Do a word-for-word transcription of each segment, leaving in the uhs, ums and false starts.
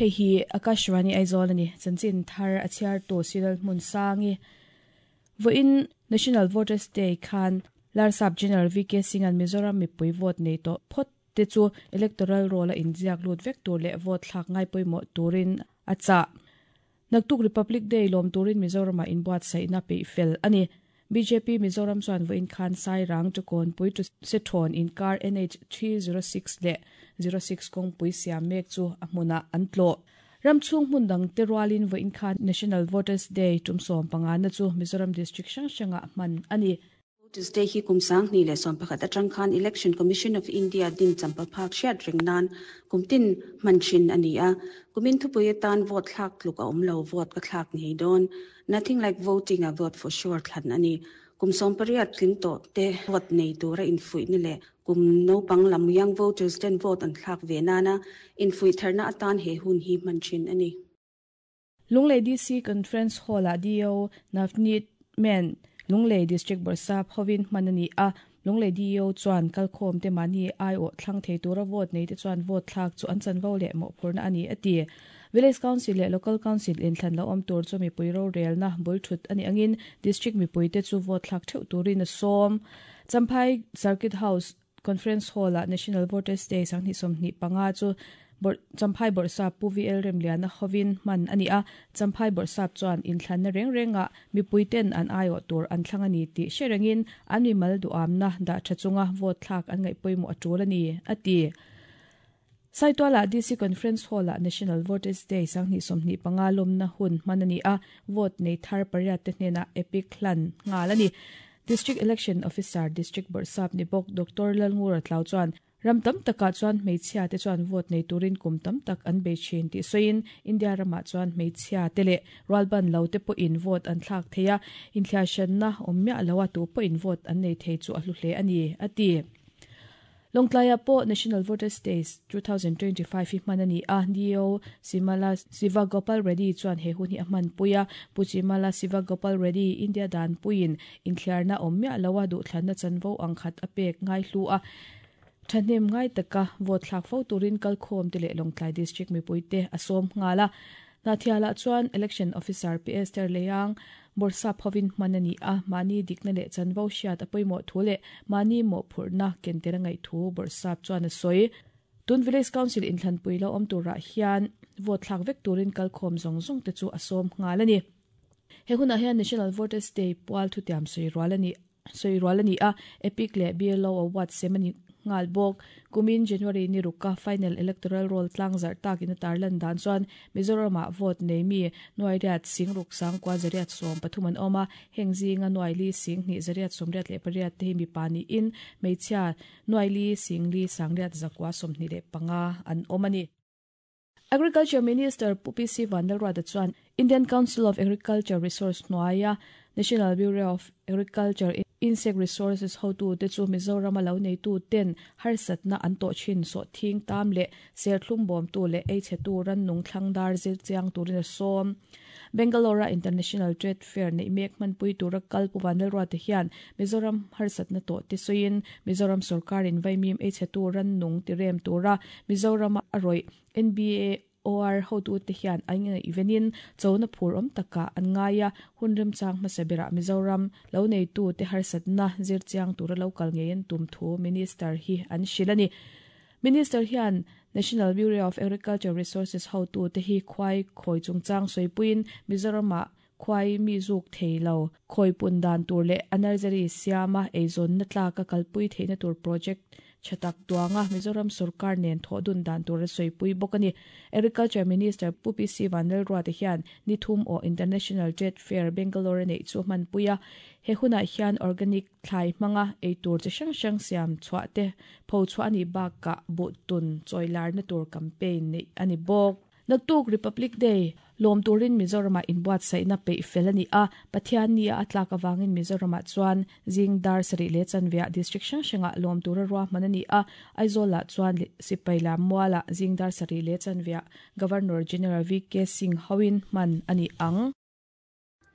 Hei hi Akashvani Aizawl ani chanchin thar a chhiar tu Siral Hmun Sangi voin National Voters Day khan Larsap General V K Singh an Mizoram mipui vote nei to phot te chu electoral roll a inziak lut vek tur leh vote thlak ngai pawimawh turin a chah. Naktuk Republic Day lawm turin Mizoram a inbuat saihna peih fel ani. B J P Mizoram chuan voin khan sai rang chu kawnpui chu se thawn inkar N H three zero six leh zero six kawngpui siam mek chu a hmunah an tlawh. Ramchhung hmun dang te rualin voin khan National Voters Day tum sawm panga na chu Mizoram District hrang hrangah hman ani. Voters Day hi kum sang hnih leh sawm pakhat atang khan Election Commission of India din champa phak hriat reng nan kumtin hman thin ani a. Kumin thupui atan vote thlak tluk a awm lo, vote ka thlak ngei dawn. Nothing like voting a vote for sure thlan ani. Kum sawm pariat tling tawh te vote nei tura infuih ni leh kum naupang lam young voters ten vote an thlak ve nana infuih tharna atan he hun hi hman thin ani. Lunglei D C Conference Hall a D O Navneet Men Lunglei District Bawrhsap hovin hman ani a. Lunglei D O chuan kalkhawm te mani ai aw thlang thei tura vote nei te chuan vote thlak chu an chanvo leh mawhphurna ani ati. Village Council leh Local Council inthlan lo awm tur chu mipui ro relna bul thut ani angin District mipui te chu vote thlak theuh turin a sawm. Champhai Circuit House Conference Hall a National Voters Day sanghnih sawmhnih panga chu Champhai Bawrhsap Pu V L Remliana hovin hman ani a. Champhai Bawrhsap chuan inthlanna reng renga mipui ten an ai aw tur an thlang ani tih hrerengin an mimal duamna dah tha chunga vote thlak an ngaih pawimawh a tul ani ati. Saituala D C Conference Hall a National Voters Day sanghnih sawmhnih panga lawmna hun hman ani a. Vote nei thar pariat te hnena epic hlan ngal ani. District Election Officer District Bawrhsap ni bawk Doctor Lalngura Tlau chuan ram tam takah chuan hmeichhia te chuan vote nei turin kum tam tak an bei thin tih sawiin India ramah chuan hmeichhia te leh rualban lo te pawhin vote an thlak thei a, inthliahhranna awm miah lo a tu pawhin vote an nei thei chu a hlu hle ani ati. Lawngtlaiah pawh National Voters Day twenty twenty-five hi hman ani a. D O Simala Siva Gopal Reddy chuan he hun hi a hman pui a. Pu Chimala Siva Gopal Reddy India dan puiin inthliarna awm miah lo a duhthlanna chanvo ang khat a pek ngai hlu a. Thahnem ngai taka vote thlak fo turin kalkhawm te leh Lawngtlai District mipui te a sawm nghal a. Nathiala chuan Election Officer P S Ter Leyang Bawrhsap hovin hman ani a. Mani dikna leh chanvo hriat a pawimawh thu leh mani mawhphurhna ken tel a ngaih thu Bawrhsap chuan a sawi. Tun Village Council inthlanpui lo awm turah hian vote thlak vek turin kalkhawm zawng zawng te chu a sawm nghal ani. He hunah hian National Voters Day pual thutiam sawi rual ani sawi rual ani a. Epic leh B L O Award sem ani ngal bawk. Kumin January ni ruka final electoral roll tlang zar takin a tarlan dan chuan Mizoramah vote nei mi nuai riat sing ruk sang kwa zariat sawm pathum an awm a. Heng zinga nuai li sing hnih zariat sawm riat leh pariat te hi mipa niin hmeichhia nuai li sing li sang riat zakua sawmhnih leh panga an awm ani. Agriculture Minister Pu P C Vanlalruata chuan Indian Council of Agriculture Resource hnuaia National Bureau of Agriculture Insect Resources hotu te chu Mizoram a lo nei tu ten harsatna an tawh thin sawh thing tam leh serthlum bawm tu leh ei chhe tu ran nung thlang dar zir chiang turin a sawm. Bangalore International Trade Fair nei mek hmanpui tura kal Pu Vanlalruata hian Mizoram harsatna tawh te sawiin Mizoram sarkarin vaimim ei chhe tu ran nung tirem tura Mizoram a rawih N B A O R hotu te hian an ngai evenin chona phur awm taka an ngaia hunrem chang hmasa berah Mizoram lo nei tu te harsatna zir chiang tura local ngein tum thu minister hi an hril ani. Minister hian National Bureau of Agriculture Resources hotu te hi khwai khoi chungchang sawipuiin Mizorama khwai mi zuk theilo khoi pun dan tur leh a nursery siama eizawn na tlaka kalpui theihna tur project chatak tuanga Mizoram sarkar nen thodun dan tur sawi bawk ani. Agriculture Minister Pu P C Vanlalruata hian nithum aw International Trade Fair Bangalore nei chu hman puia. He hunah hian organic thlai hmanga eitur chi hrang hrang siam chhuah te pho chhuah ani bakah buhtun chawilar na tur campaign nei ani bawk. Naktuk Republic Day lawm turin Mizorama inbuat saihna peih fel ani a. Pathian ni a atlak awangin Mizorama chuan zing dar sarih leh chanveah district hrang hrangah lawm tura ruahman ani a. Aizawlah chuan sipai lam mualah zing dar sarih leh chanveah Governor General V K Singh hoin hman ani ang.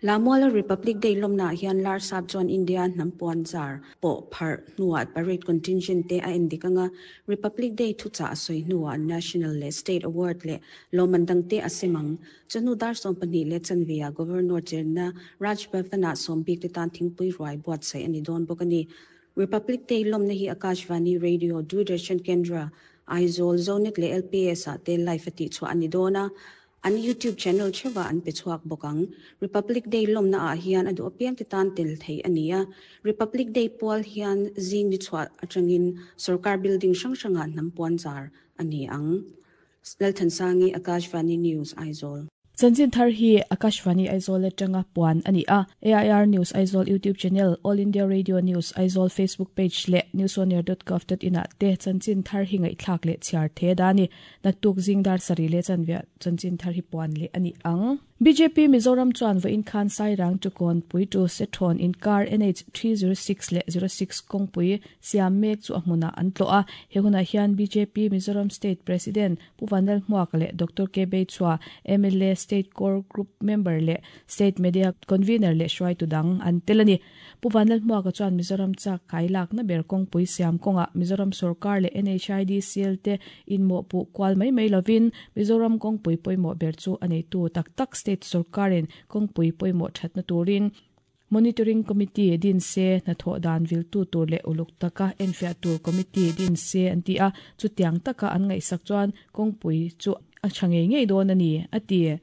Lamwala Republic Day lomna hian Larsap chuan India hnampuan zar pawh phar hnuah parade contingent te a endikanga Republic Day thucha a sawi hnuah National le State Award le lawmman te a semang chanu dar sawm pahnih le chanvia Governor chenna Raj Bhavana sawmbik te tan thingpui ruai buat sai ani dawn bawk ani. Republic Day lomna hi Akashvani Radio Doordarshan Kendra Aizawl Zonet le L P S a te live ati chu ani dona an YouTube channel chewa an pe chuak bokang. Republic Day lomna a hian adu apiang te tan tel thei ania. Republic Day pual hian zing ni chhuat atangin sarkar building sang sanga nampuan zar ani ang. Lalthan Sangi, Akashvani News, Aizawl. Chanchin thar hi Akashvani Aizawl atanga puan ani a. A I R News Aizawl YouTube channel, All India Radio News Aizawl Facebook page le newsonear dot gov dot in te chanchin thar hi ngai thlak le chiar the dani naktuk jingdar sari le chanvia chanchin thar hi puan le ani ang. B J P Mizoram chuan va in khan sai rang tu kon pui tu sethon in car N H three zero six le zero six kong pui siam mek chu ahmuna an tlo a. He huna hian B J P Mizoram State President Puvanal Hmuak le Doctor K B Chua M L A State Core Group Member le State Media Convener le Shwai Tudang an telani. Puvanal Hmuak chuan Mizoram cha kailak na ber kong pui siam konga Mizoram Sarkar le N H I D C L te in mo pu kwal mai mai lovin Mizoram kong pui poi mo ber chu anei tu tak tak State Sarkarin kong pui poi mo thatna turin Monitoring Committee din se na tho dan vil tu tur le uluk taka enfia tur committee din se anti a chutiang taka an ngai sak chuan kong pui chu a change ngei don ani ati.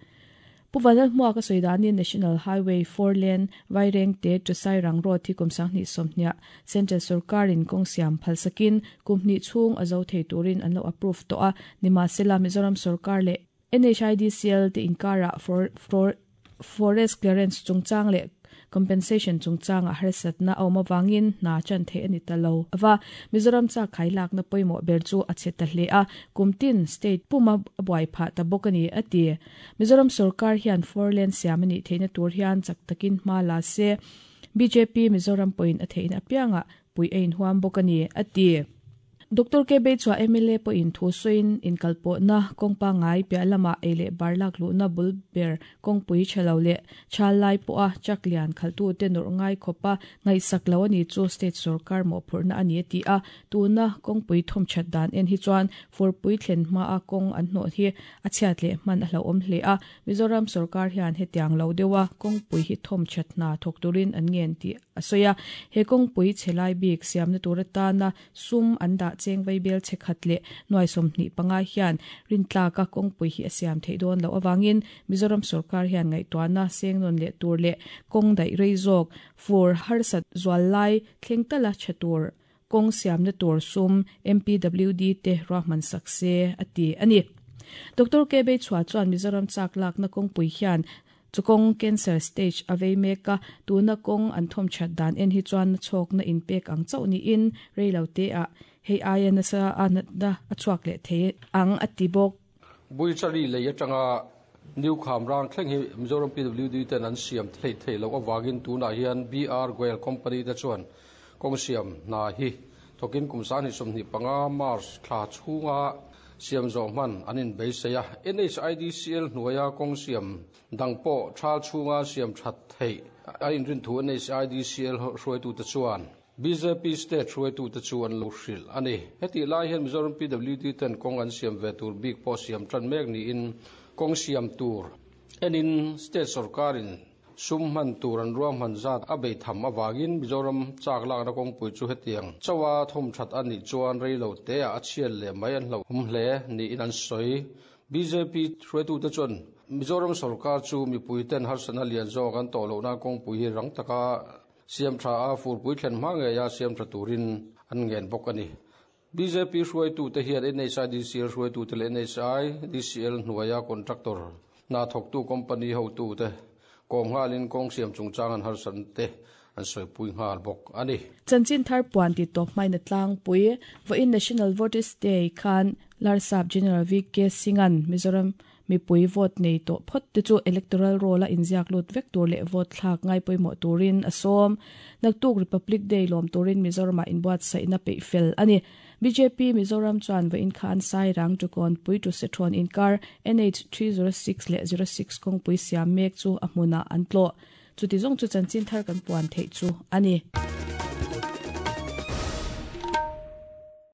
Puvanal Hmuak a soidani National Highway four lane Vaireng te to Sairang Road thi kumsang ni somhnia Central Sarkarin kong siam phalsakin kumni chung azo thei turin an lo approve to a nima sela Mizoram Sarkar le N H I D C L te inkara for for forest clearance chungchang le compensation chungchang a harsat na awma wangin na chan the ani talo awa Mizoram cha khailak na poimo ber chu a cheta hle a kumtin state puma buai pha ta bokani ati. Mizoram Sarkar hian four lane siamani theina tur hian chaktakin ma la se B J P Mizoram point a theina apianga pui ein huam bokani ati. Doctor K B Chua M L A po in thu soin in kalpo na kongpa ngai pia lama ele barlak lu na bul ber kongpui chalo le chalai po a chaklian khaltu te nor ngai khopa ngai saklo ani chu state sarkar mo phurna ani ti a tuna kongpui thom chat dan en hi chuan for pui thlen ma a kong an hno hi a chhiat le man a hlo om hle a Mizoram sarkar hian hetiang lo dewa kongpui hi thom chat na thok turin an ngen ti asoya he kongpui chelai bik siamna turata na sum an da cheng vai bel chekhat le noi somni panga hian rintla ka kongpui hi asiam thei don lo awangin Mizoram sarkar hian ngai tuana sengnon le tur le kong dai reizok for harsat zwalai thlengtala chatur kong siam na tur sum M P W D te rahman sakse ati ani. Doctor K B Chua chuan Mizoram chak lak na kongpui hian chukong cancer stage avei meka tuna kong an thom chat dan en hi chuan chok na in pek ang chau ni in reilo te a hei aia na sa anat na achuak le the ang atibok bui chari le yatanga new kham rang thleng hi Mizoram P W D ten an siam thlei thei lo awangin tuna hian B R Goel company te chuan kong siam na hi thokin kumsan hi somni panga March thla chunga siam zo man anin beiseya N H I D C L hnuaya kong siam dangpo thal chunga siam that thei a in rin thu N H I D C L hruai tu te chuan B J P state hruai tu te chuan lo hril ani heti lai hian Mizoram P W D ten kong an siam ve tur bik po siam tran mek ni in kong siam tur enin state sarkarin sum man tur an ruam han zat a bei tham awangin Mizoram chak lak na kong pui chu hetiang chawa thom that ani chuan reilo te a chial le mai an hlo hum hle ni in an soi B J P hruai tu te chuan Mizoram sarkar chu mi pui ten harsana lian zawk an to lo na kong pui hi rang taka siam tha a fur pui thlen hma nge ya siam tha turin an ngen bawk ani. B J P hruai tu te hian N H I D C L hruai tu te le N H I D C L hnuaia contractor na thok tu company ho tu te kong ngalin kong siam chungchang an harsan te an soi pui ngal bawk ani. Chanchin thar puan ti top mai na tlang pui vo in National Voters Day khan Larsap General V K Singan Mizoram mi pui vote nei to phot te chu electoral roll a inziak lut vek tur le vote thlak ngai poimo turin asom naktuk Republic Day lom turin Mizoram a inbuat saina pe fel ani. B J P Mizoram chuan va in khan sai rang tu kon pui tu sethon in car N H three zero six le zero six kong pui siam mek chu ahmuna an tlo. Chuti zong chu chanchin thar kan puan thei chu ani.